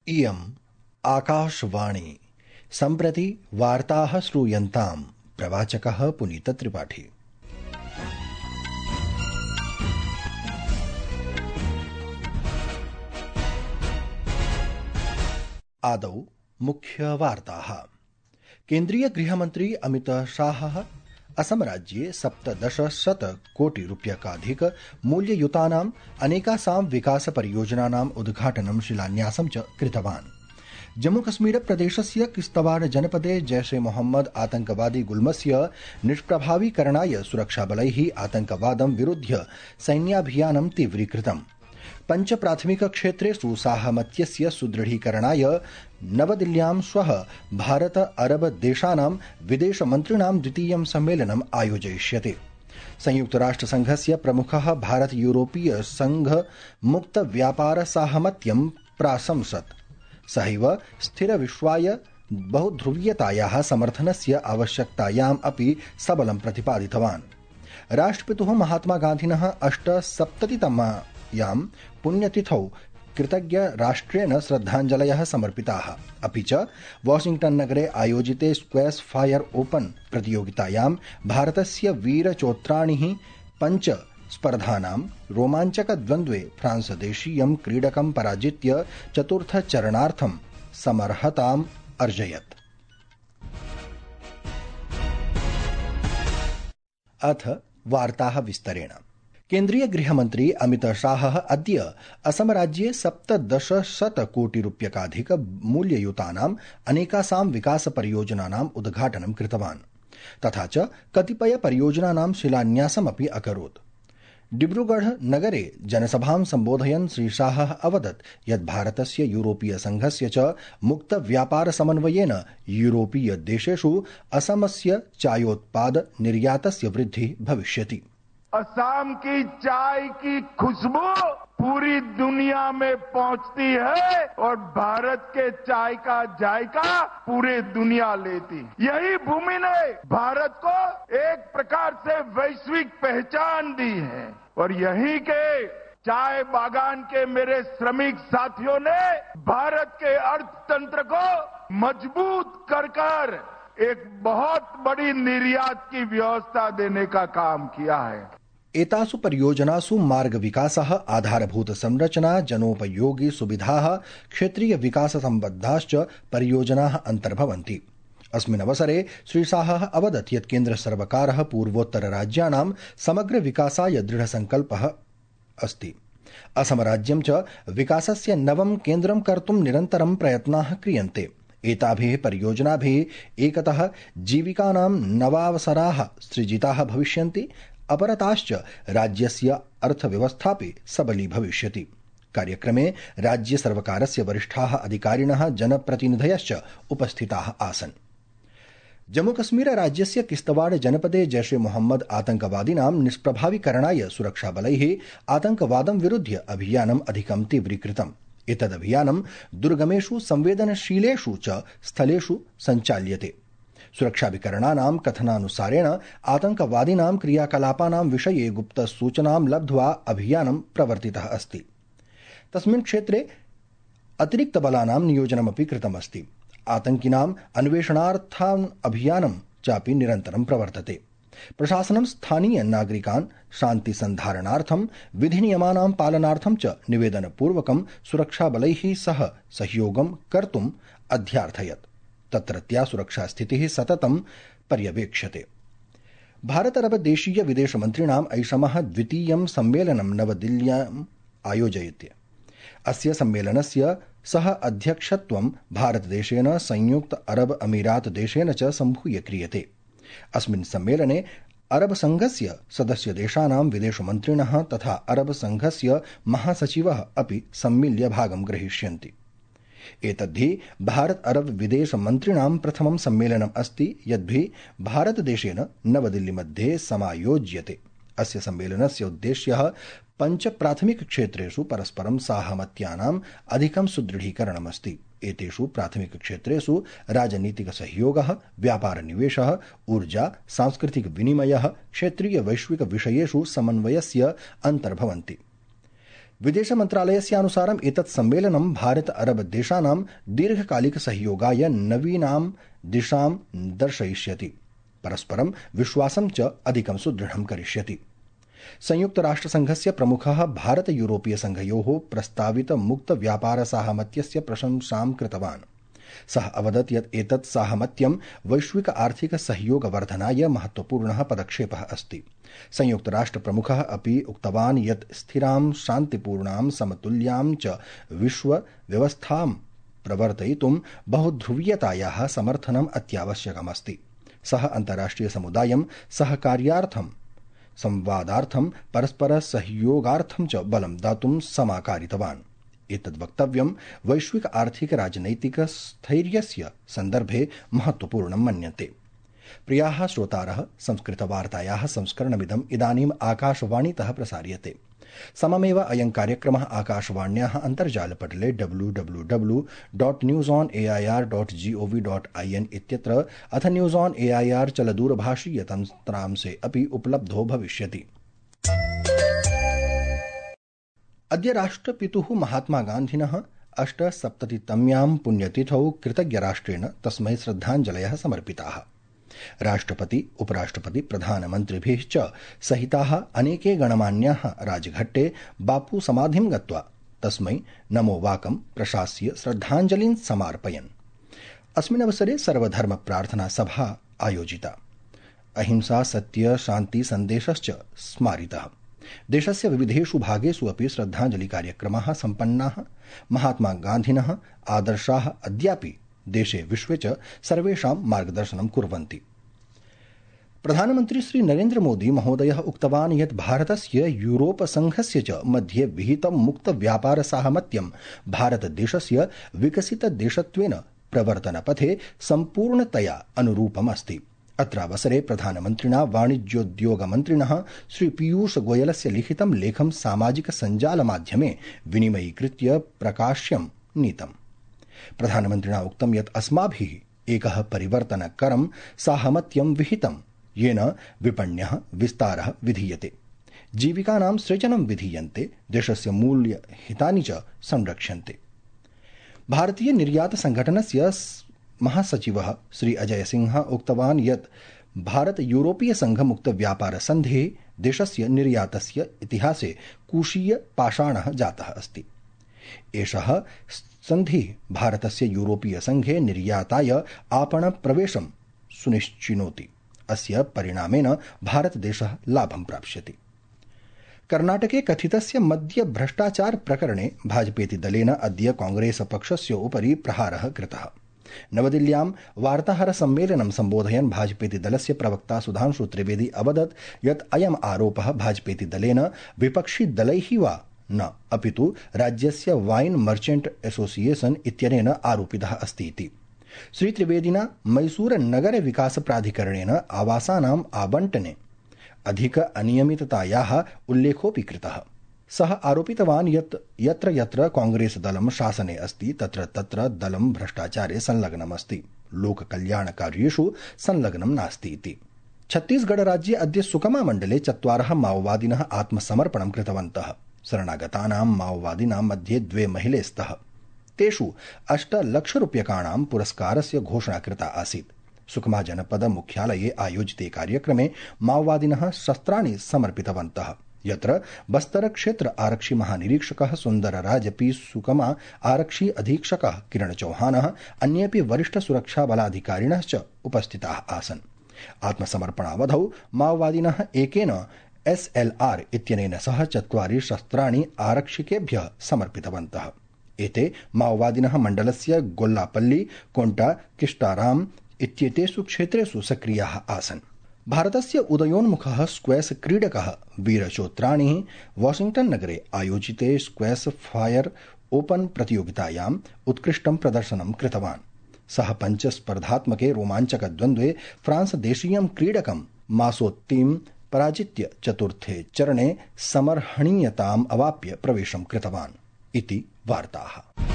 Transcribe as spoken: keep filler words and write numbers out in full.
इयम् आकाशवाणी। सम्प्रति वार्ताः श्रूयन्ताम्। प्रवाचकः पुनीतत्रिपाठी। आदौ मुख्यवार्ताः। केन्द्रीय गृहमन्त्री अमित शाहः असम राज्ये सप्तदशशतकोटिरूप्यकाधिक मूल्ययुतानाम् अनेकासां विकास परियोजनानाम् उद्घाटनं शिलान्यासं च कृतवान्। जम्मूकश्मीर प्रदेशस्य किश्तवाड़ जनपदे जैश ए मोहम्मद आतंकवादी गुल्मस्य निष्प्रभावीकरणाय सुरक्षाबलैः आतंकवादं विरुध्य सैन्याभियानं तीव्रीकृतम्। पंच प्राथमिक क्षेत्रेषु साहमत्यस्य सुदृढीकरणाय नवदिल्ल्यां श्वः भारत अरब देशानां विदेशमन्त्रिणां द्वितीयं सम्मेलनम् आयोजयिष्यते। संयुक्तराष्ट्रसंघस्य प्रमुखः भारत यूरोपीय संघ मुक्त व्यापार साहमत्यं प्राशंसत्। सहैव स्थिरविश्वाय बहुध्रुवीयतायाः समर्थनस्य आवश्यकतायाम् अपि सबलं प्रतिपादितवान्। राष्ट्रपितुः महात्मा गान्धिनः अष्टसप्ततितमायां पुण्यतिथौ कृतज्ञ राष्ट्रेण श्रद्धाञ्जलयः समर्पिताः। अपि च वाशिंग्टन नगरे आयोजिते स्क्वैश फायर ओपन प्रतियोगितायां भारतस्य वीरचोत्राणिः पञ्च स्पर्धानां रोमाञ्चक द्वन्द्वे फ्रांस देशीयं क्रीडकं पराजित्य चतुर्थचरणार्थं समर्हताम् अर्जयत्। अथ वार्ताः विस्तरेण। केन्द्रीय गृहमन्त्री अमित शाहः अद्य असम राज्ये सप्तदशशतकोटिरूप्यकाधिक मूल्ययुतानाम् अनेकासां विकास परियोजनानाम् उद्घाटनं कृतवान्। तथा च कतिपय परियोजनानां शिलान्यासमपि अकरोत्। डिब्रूगढ़ नगरे जनसभां सम्बोधयन् श्री शाहः अवदत् यत् भारतस्य यूरोपीय संघस्य च मुक्त व्यापार समन्वयेन यूरोपीय देशेषु असमस्य चायोत्पाद निर्यातस्य वृद्धिः भविष्यति। असम की चाय की खुशबू पूरी दुनिया में पहुंचती है और भारत के चाय का जायका पूरे दुनिया लेती। यही भूमि ने भारत को एक प्रकार से वैश्विक पहचान दी है और यहीं के चाय बागान के मेरे श्रमिक साथियों ने भारत के अर्थतंत्र को मजबूत कर कर एक बहुत बड़ी निर्यात की व्यवस्था देने का काम किया है। एतासु परियोजनासु मार्ग विकासः, आधारभूत संरचना, जनोपयोगी सुविधाः, क्षेत्रीय विकास सम्बद्धाश्च परियोजनाः अन्तर्भवन्ति। अस्मिन् अवसरे श्री शाहः अवदत् यत् केन्द्र सर्वकारः पूर्वोत्तर राज्यानां समग्र विकासाय दृढसंकल्पः अस्ति। असम राज्यं च विकासस्य नवं केन्द्रं कर्तुं निरन्तरं प्रयत्नाः क्रियन्ते। एताभिः परियोजनाभिः एकतः जीविकानां नवावसराः सृजिताः भविष्यन्ति, अपरताश्च राज्यस्य अर्थव्यवस्थापि सबली भविष्यति। कार्यक्रमे राज्य सर्वकारस्य वरिष्ठाः अधिकारिणः जनप्रतिनिधयश्च उपस्थिताः आसन्। जम्मूकश्मीर राज्यस्य किश्तवाड़ जनपदे जैश ए मोहम्मद आतंकवादिनां निष्प्रभावीकरणाय सुरक्षाबलैः आतंकवादं विरुध्य अभियानम् अधिकं तीव्रीकृतम्। एतदभियानं दुर्गमेषु संवेदनशीलेषु च स्थलेषु सञ्चाल्यते। सुरक्षाभिकरणानां कथनानुसारेण आतंकवादिनां क्रियाकलापानां विषये गुप्तसूचनां लब्ध्वा अभियानं प्रवर्तितः अस्ति। तस्मिन् क्षेत्रे अतिरिक्तबलानां नियोजनमपि कृतमस्ति। आतंकिनाम् अन्वेषणार्थम् अभियानं चापि निरन्तरं प्रवर्तते। प्रशासनं स्थानीय नागरिकान् शान्तिसन्धारणार्थं विधिनियमानां पालनार्थं च निवेदनपूर्वकं सुरक्षाबलैः सह सहयोगं कर्तुम् अध्यार्थयत्। तत्रत्या सुरक्षास्थितिः सततं पर्यवेक्ष्यते। भारत अरब देशीय विदेशमन्त्रिणाम् ऐषमः द्वितीयं सम्मेलनं नवदिल्ल्याम् आयोजयति। अस्य सम्मेलनस्य सह अध्यक्षत्वं भारतदेशेन संयुक्त अरब अमीरात देशेन च सम्भूय क्रियते। अस्मिन् सम्मेलने अरब संघस्य सदस्यदेशानां विदेशमन्त्रिणः तथा अरब संघस्य महासचिवः अपि सम्मिल्य भागं ग्रहीष्यन्ति। एतद्धि भारत अरब विदेश मन्त्रिणां प्रथमं सम्मेलनम् अस्ति यद्भि भारतदेशेन नवदिल्ली मध्ये समायोज्यते। अस्य सम्मेलनस्य उद्देश्यः पंच प्राथमिक क्षेत्रेषु परस्परं साहमत्यानाम् अधिकं सुदृढीकरणमस्ति। एतेषु प्राथमिक क्षेत्रेषु राजनीतिक सहयोगः, व्यापार निवेशः, ऊर्जा, सांस्कृतिक विनिमयः, क्षेत्रीय वैश्विक विषयेषु समन्वयस्य अन्तर्भवन्ति। विदेश मन्त्रालयस्यानुसारम् एतत् सम्मेलनं भारत अरब देशानां दीर्घकालिक सहयोगाय नवीनां दिशां दर्शयिष्यति, परस्परं विश्वासं च अधिकं सुदृढं करिष्यति। संयुक्त राष्ट्रसङ्घस्य प्रमुखः भारत यूरोपीय संघयोः प्रस्तावित मुक्त व्यापार साहमत्यस्य प्रशंसां कृतवान्। सः अवदत् यत् एतत् साहमत्यं वैश्विक आर्थिक सहयोग वर्धनाय महत्वपूर्णः पदक्षेपः अस्ति। संयुक्त राष्ट्र प्रमुखः अपि उक्तवान् यत् स्थिरां शान्तिपूर्णां समतुल्यां च विश्व व्यवस्थां प्रवर्तयितुं बहुध्रुवीयतायाः समर्थनम् अत्यावश्यकमस्ति। सः अन्ताराष्ट्रिय समुदायं सहकार्यार्थं संवादार्थं परस्पर सहयोगार्थं च बलं दातुं समाकारितवान्। एतद् वक्तव्यं वैश्विक आर्थिक राजनैतिक स्थैर्यस्य सन्दर्भे महत्वपूर्णं मन्यते। प्रियाः श्रोतारः, संस्कृतवार्तायाः संस्करणमिदम् इदानीम् आकाशवाणीतः प्रसार्यते। सममेव अयं कार्यक्रमः आकाशवाण्याः अन्तर्जालपटले W W W dot news on A I R dot G O V dot I N इत्यत्र अथ news on A I R चलदूरभाषीयतन्त्रांशे अपि उपलब्धो भविष्यति। अद्य राष्ट्रपितुः महात्मा गान्धिनः अष्टसप्ततितम्यां पुण्यतिथौ कृतज्ञराष्ट्रेण तस्मै श्रद्धाञ्जलयः समर्पिताः। राष्ट्रपति, उपराष्ट्रपति, प्रधानमन्त्रिभिः च सहिताः अनेके गणमान्याः राजघट्टे बापू समाधिं गत्वा तस्मै नमो वाकं प्रशास्य श्रद्धाञ्जलिं समार्पयन्। अस्मिन् अवसरे सर्वधर्म प्रार्थना सभा आयोजिता। अहिंसा, सत्य, शान्ति सन्देशश्च स्मारितः। देशस्य विविधेषु भागेषु अपि श्रद्धाञ्जलि कार्यक्रमाः सम्पन्नाः। महात्मा गान्धिनः आदर्शाः अद्यापि देशे विश्वे च सर्वेषां मार्गदर्शनं कुर्वन्ति। प्रधानमन्त्री श्री नरेन्द्र मोदी महोदयः उक्तवान् यत् भारतस्य यूरोप संघस्य च मध्ये विहितं मुक्त व्यापार साहमत्यं भारतदेशस्य विकसितदेशत्वेन प्रवर्तनपथे सम्पूर्णतया अनुरूपम् अस्ति। अत्रावसरे प्रधानमन्त्रिणा वाणिज्योद्योगमन्त्रिणः श्री पीयूष गोयलस्य लिखितं लेखं सामाजिक सञ्जालमाध्यमे विनिमयीकृत्य प्रकाश्यं नीतम्। प्रधानमन्त्रिणा उक्तं यत् अस्माभिः एकः परिवर्तनकरं साहमत्यं विहितं, येन विपण्यः विस्तारः विधीयते, जीविकानां सृजनं विधीयन्ते, देशस्य मूल्यहितानि च संरक्ष्यन्ते। भारतीय निर्यात संघटनस्य महासचिवः श्री अजय सिंह उक्तवान् यत् भारत यूरोपीय संघ मुक्त व्यापार सन्धेः देशस्य निर्यातस्य इतिहासे कूशीय पाषाणः जातः अस्ति। एषः सन्धिः भारतस्य यूरोपीय संघे निर्याताय आपण प्रवेशं सुनिश्चिनोति। अस्य परिणामेन भारतदेशः लाभं प्राप्स्यति। कर्णाटके कथितस्य मद्य भ्रष्टाचार प्रकरणे भाजपेति दलेन अद्य कांग्रेस पक्षस्य उपरि प्रहारः कृतः। नवदिल्ल्यां वार्ताहर सम्मेलनं सम्बोधयन् भाजपेति दलस्य प्रवक्ता सुधांशु त्रिवेदी अवदत् यत् अयम् आरोपः भाजपेति दलेन विपक्षी दलैः वा न अपितु राज्यस्य वाइन मर्चेंट एसोसिएशन इत्यनेन आरोपितः अस्ति इति। श्री त्रिवेदिना मैसूर नगर विकास प्राधिकरणेन आवासानाम् आवंटने अधिक अनियमिततायाः उल्लेखोऽपि कृतः। सः आरोपितवान् यत् यत्र यत्र कांग्रेस दलं शासने अस्ति तत्र तत्र दलं भ्रष्टाचारे संलग्नमस्ति, लोककल्याणकार्येषु संलग्नं नास्ति इति। छत्तीसगढ़ राज्ये अद्य सुकमा मण्डले चत्वारः माओवादिनः आत्मसमर्पणं कृतवन्तः। शरणागतानां माओवादिनां मध्ये द्वे महिले स्तः। तेषु अष्टलक्षरूप्यकाणां पुरस्कारस्य घोषणा कृता आसीत्। सुकमा जनपद मुख्यालये आयोजिते कार्यक्रमे माओवादिनः शस्त्राणि समर्पितवन्तः, यत्र बस्तर क्षेत्र आरक्षि महानिरीक्षकः सुन्दरराजपि, सुकमा आरक्षि अधीक्षकः किरण चौहानः, अन्येऽपि वरिष्ठ सुरक्षा बलाधिकारिणश्च उपस्थिताः आसन्। आत्मसमर्पणावधौ माओवादिनः एकेन एस एल आर इत्यनेन सह चत्वारि शस्त्राणि आरक्षिकेभ्यः समर्पितवन्तः। एते माओवादिनः मण्डलस्य गोल्लापल्ली, कोंटा, किष्टाराम इत्येतेषु क्षेत्रेषु सक्रियाः आसन्। भारतस्य उदयोन्मुखः स्क्वैश क्रीडकः वीर चोत्राणिः वाशिंग्टन नगरे आयोजिते स्क्वैश फायर ओपन प्रतियोगितायाम् उत्कृष्टं प्रदर्शनं कृतवान्। सः पञ्चस्पर्धात्मके रोमाञ्चकद्वन्द्वे फ्रांस देशीयं क्रीडकं मासोत्तीं पराजित्य चतुर्थे चरणे समर्हणीयताम् अवाप्य प्रवेशं कृतवान् इति वार्ताः।